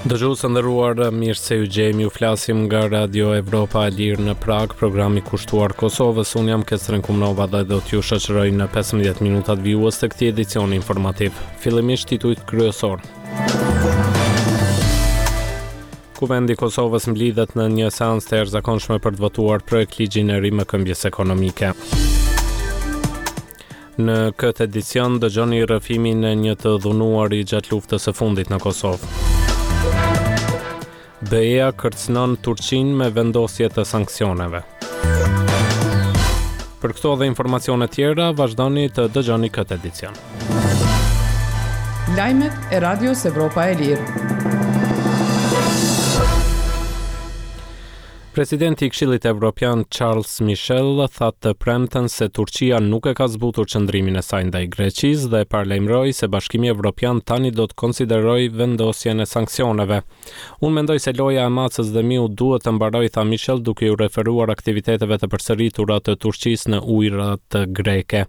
Dëgjues të nderuar, mirë se ju gjejmë, ju flasim nga Radio Evropa e Lirë në Pragë, programi kushtuar Kosovës. Unë jam Kestren Kumnova dhe do t'ju shoqëroj në 15 minutat vijues të këtij edicioni informativ. Fillimisht titujt kryesorë. Kuvendi i Kosovës mblidhet në një seancë të jashtëzakonshme për të votuar projektligjin e rimëkëmbjes ekonomike. Në këtë edicion dëgjoni rrëfimin e një të dhunuari gjatë luftës së fundit në Kosovë. BE-ja kërcënon Turqinë me vendosje të sanksioneve. Për këto dhe informacione tjera, vazhdoni të dëgjoni këtë edicion. Lajmet e Radios Evropa e Lirë. Presidenti i Këshillit Evropian Charles Michel tha të premten se Turqia nuk e ka zbutur qëndrimin e saj ndaj Greqisë dhe paralajmëroi se Bashkimi Evropian tani do të konsiderojë vendosjen e sanksioneve. Unë mendoj se loja e macës dhe miut duhet të mbarojë, tha Michel duke iu referuar aktiviteteve të përsëritura të Turqisë në ujërat greke.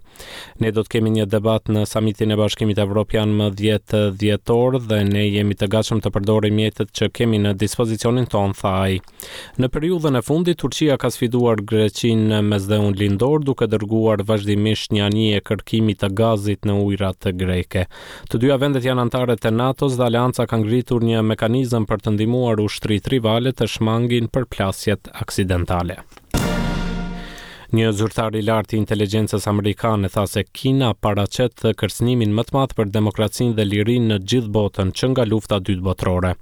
Ne do të kemi një debat në samitin e Bashkimit Evropian më 10 dhjetor dhe ne jemi të gatshëm të përdorim mjetet që kemi në dispozicionin tonë, tha ai. Në periudhën e fundit, Turqia ka sfiduar Greqinë në Mesdheun Lindor duke dërguar vazhdimisht një anije kërkimi të gazit në ujërat greke. Të dyja vendet janë anëtare të NATO-s dhe aleanca ka ngritur një mekanizëm për të ndihmuar ushtritë rivale të shmangin përplasjet aksidentale. Një zyrtar i lartë i inteligjencës amerikane tha se Kina paraqet kërcënimin më të madh për demokracinë dhe lirinë në gjithë botën që nga Lufta e Dytë Botërore.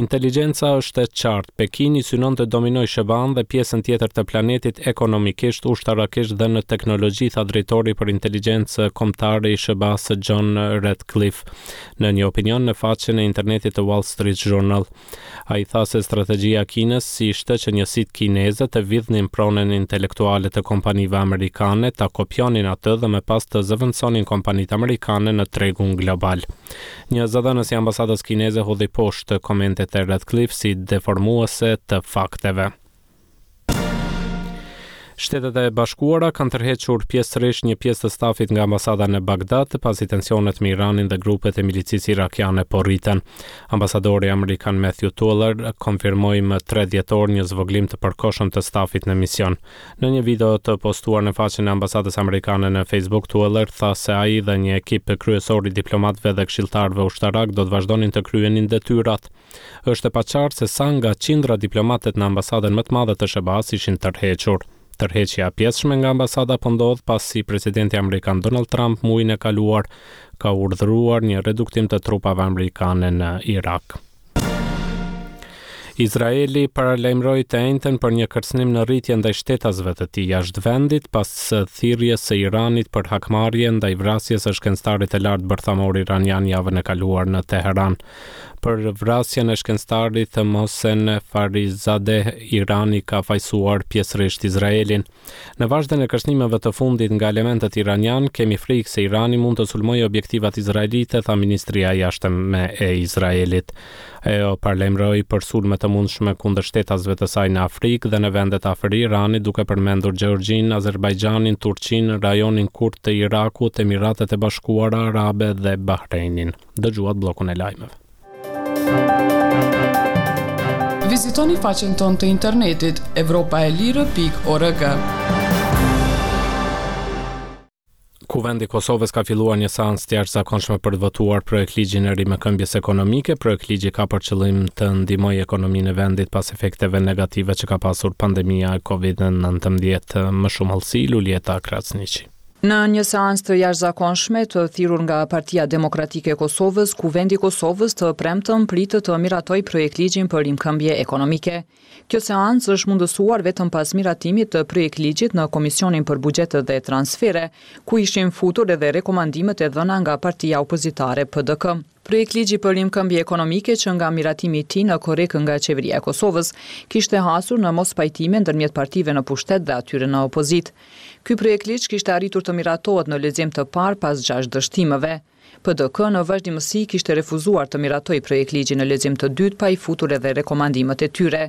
Inteligjenca është e qartë, Pekini synon të dominojë SHBA-në dhe pjesën tjetër të planetit ekonomikisht, ushtarakisht dhe në teknologji, tha drejtori për inteligjencë kombëtare i SHBA-së John Ratcliffe në një opinion në faqen e internetit të Wall Street Journal. Ai tha se strategjia e Kinës ishte që njësitë kineze të vidhnin pronën intelektuale të kompanive amerikane, ta kopjonin atë dhe më pas të zëvendësonin kompanitë amerikane në tregun global. Një zëdhënës i ambasadës kineze hodhi poshtë komentet e Ratcliffe si deformuese të fakteve. Shtetet e Bashkuara kanë tërhequr pjesërisht një pjesë të stafit nga ambasada në Bagdad, pasi tensionet me Iranin dhe grupet e milicisë irakiane po rriten. Ambasadori amerikan Matthew Tueller konfirmoi më 3 dhjetor një zvogëlim të përkohshëm të stafit në mision. Në një video të postuar në faqen e ambasadës amerikane në Facebook, Tueller tha se ai dhe një ekip kryesor i diplomatëve dhe këshilltarëve ushtarakë do të vazhdonin të kryenin detyrat. Është e paqartë se sa nga qindra diplomatët në ambasadën më të madhe të SHBA-së ishin tërhequr. Tërheqja e pjesshme nga ambasada po ndodh pasi presidenti amerikan Donald Trump muajin e kaluar ka urdhëruar një reduktim të trupave amerikane në Irak. Izraeli paralajmëroi të enjten për një kërcënim në rritje ndaj shtetasve të tij jashtë vendit pas thirrjes së Iranit për hakmarrje ndaj vrasjes së shkencëtarit të lartë bërthamor iranian javën e kaluar në Teheran. Për vrasjen e shkencëtarit Mohsen Fakhrizadeh, Irani ka fajësuar pjesërisht Izraelin. Në vazhdën e kërcënimeve të fundit nga elementët iranianë, kemi frikë se Irani mund të sulmojë objektivat izraelite, tha Ministria e Jashtme e Izraelit. Ajo paralajmëroi për sulme të mundshme kundër shtetasve të saj në Afrikë dhe në vendet afër Iranit, duke përmendur Gjeorgjinë, Azerbajxhanin, Turqinë, rajonin kurd të Irakut, Emiratet e Bashkuara Arabe dhe Bahreinin. Dëgjuat bllokun e lajmeve. Vizitoni faqen tonë të internetit evropaelire.org. Kuvendi i Kosovës ka filluar një seancë të jashtëzakonshme për të votuar projektligjin e rimëkëmbjes ekonomike. Projektligji ka për qëllim të ndihmojë ekonominë e vendit pas efekteve negative që ka pasur pandemia e Covid-19. Më shumë hollësi Luljeta Krasniqi. Në një seancë të jashtëzakonshme të thirrur nga Partia Demokratike e Kosovës, Kuvendi i Kosovës të premten pritet të miratojë projektligjin për rimëkëmbje ekonomike. Kjo seancë është mundësuar vetëm pas miratimit të projektligjit në Komisionin për Buxhet dhe Transfere, ku ishin futur edhe rekomandimet e dhëna nga partia opozitare PDK. Projektligji për rimëkëmbje ekonomike që nga miratimi i tij në korrik nga Qeveria e Kosovës, kishte hasur në mospajtime ndërmjet partive në pushtet dhe atyre në opozitë. Ky projektligj kishte arritur të miratohet në lexim të parë pas gjashtë dështimeve. PDK në vazhdimësi kishte refuzuar të miratojë projektligjin në lexim të dytë pa i futur edhe rekomandimet e tyre.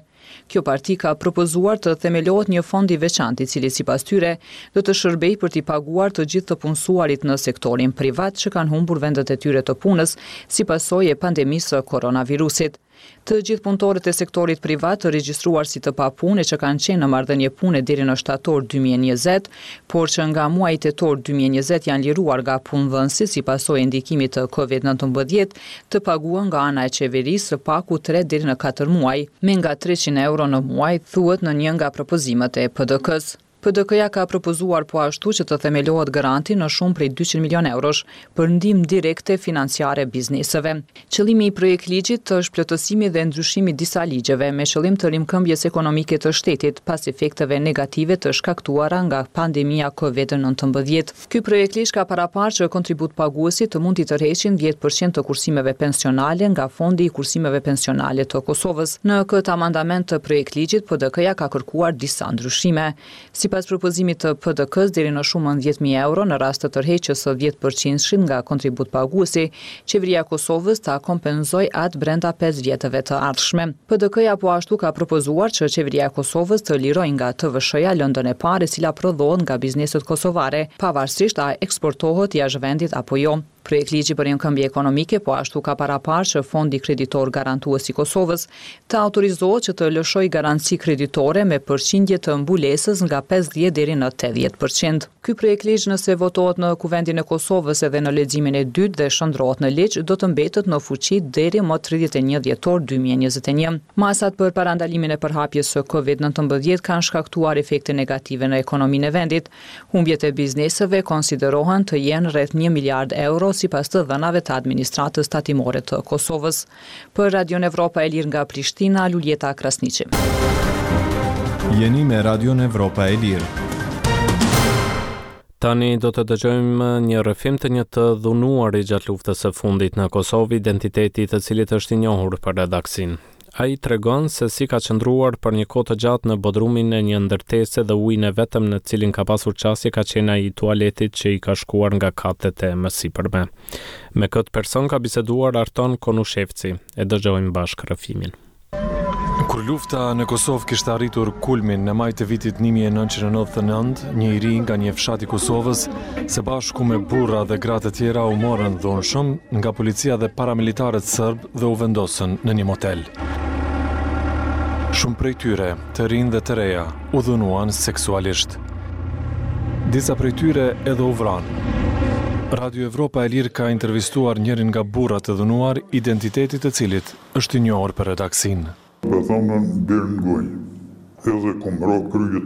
Kjo parti ka propozuar të themelohet një fond i veçantë i cili sipas tyre do të shërbejë për t'i paguar të gjithë të punësuarit në sektorin privat që kanë humbur vendet e tyre të punës si pasojë e pandemisë së koronavirusit. Të gjithë punëtorët e sektorit privat të regjistruar si të papunë e që kanë qenë në marrëdhënie pune deri në shtator 2020, por që nga muaji tetor 2020 janë liruar nga punëdhënësi si pasojë e ndikimit të Covid 19, të paguhen nga ana e qeverisë së paku tre deri në katër muaj, me nga 300 euro në muaj, thuhet në një nga propozimet e PDK-së. PDK-ja ka propozuar po ashtu që të themelohet granti në shumë prej 200 milion eurosh për ndihmë direkte financiare bizneseve. Qëllimi i projektligjit është plotësimi dhe ndryshimi i disa ligjeve me qëllim të rimëkëmbjes ekonomike të shtetit pas efekteve negative të shkaktuara nga pandemia COVID-19. Ky projektligj ka paraparë që kontributpaguesit të mund t'i tërheqin 10% të kursimeve pensionale nga Fondi i Kursimeve Pensionale të Kosovës. Në këtë amandament të projektligjit, PDK-ja ka kërkuar disa ndryshime. Sipas propozimit të PDK-së, deri në shumën 10.000 euro në rast të tërheqjes së 10%-shit nga kontributpaguesi, Qeveria e Kosovës ta kompenzojë atë brenda 5 vjetëve të ardhshme. PDK-ja po ashtu ka propozuar që Qeveria e Kosovës të lirojë nga TVSH-ja lëndën e parë e cila prodhohet nga bizneset kosovare, pavarësisht a eksportohet jashtë vendit apo jo. Projektligji për rimëkëmbje ekonomike po ashtu ka paraparë që Fondi Kreditor Garantues i Kosovës të autorizohet që të lëshojë garanci kreditore me përqindje të mbulesës nga 50 deri në 80%. Ky projektligj nëse votohet në Kuvendin e Kosovës edhe në leximin e dytë dhe shndërrohet në ligj, do të mbetet në fuqi deri më 31 dhjetor 2021. Masat për parandalimin e përhapjes së COVID-19 kanë shkaktuar efekte negative në ekonominë e vendit. Humbjet e bizneseve konsiderohen të jenë rreth 1 miliard euro sipas të dhënave të Administratës Tatimore të Kosovës. Për Radion Evropa e Lirë nga Prishtina, Luljeta Krasniqi. Jeni me Radion Evropa e Lirë. Tani do të dëgjojmë një rrëfim të një të dhunuari gjatë luftës së fundit në Kosovë, identiteti i të cilit është i njohur për redaksinë. Ai tregon se si ka qëndruar për një kohë të gjatë në bodrumin e një ndërtese dhe ujin e vetëm në cilin ka pasur qasje ka qenë ai i tualetit që i ka shkuar nga katet e mësipërme. Me këtë person ka biseduar Arton Konushevci. E dëgjojmë bashkë rrëfimin. Kur lufta në Kosovë kishte arritur kulmin në maj të vitit 1999, një i ri nga një fshat i Kosovës, së bashku me burra dhe gra të tjera u morën dhunshëm nga policia dhe paramilitarët serbë dhe u vendosën në një motel. Shumë prej tyre, të rinj dhe të reja, u dhunuan seksualisht. Disa prej tyre edhe u vranë. Radio Evropa e Lirë ka intervistuar njërin nga burrat e dhunuar, identiteti të cilit është i njohur për redaksinë. Po thonën deri në gojë, edhe kum ra kryet.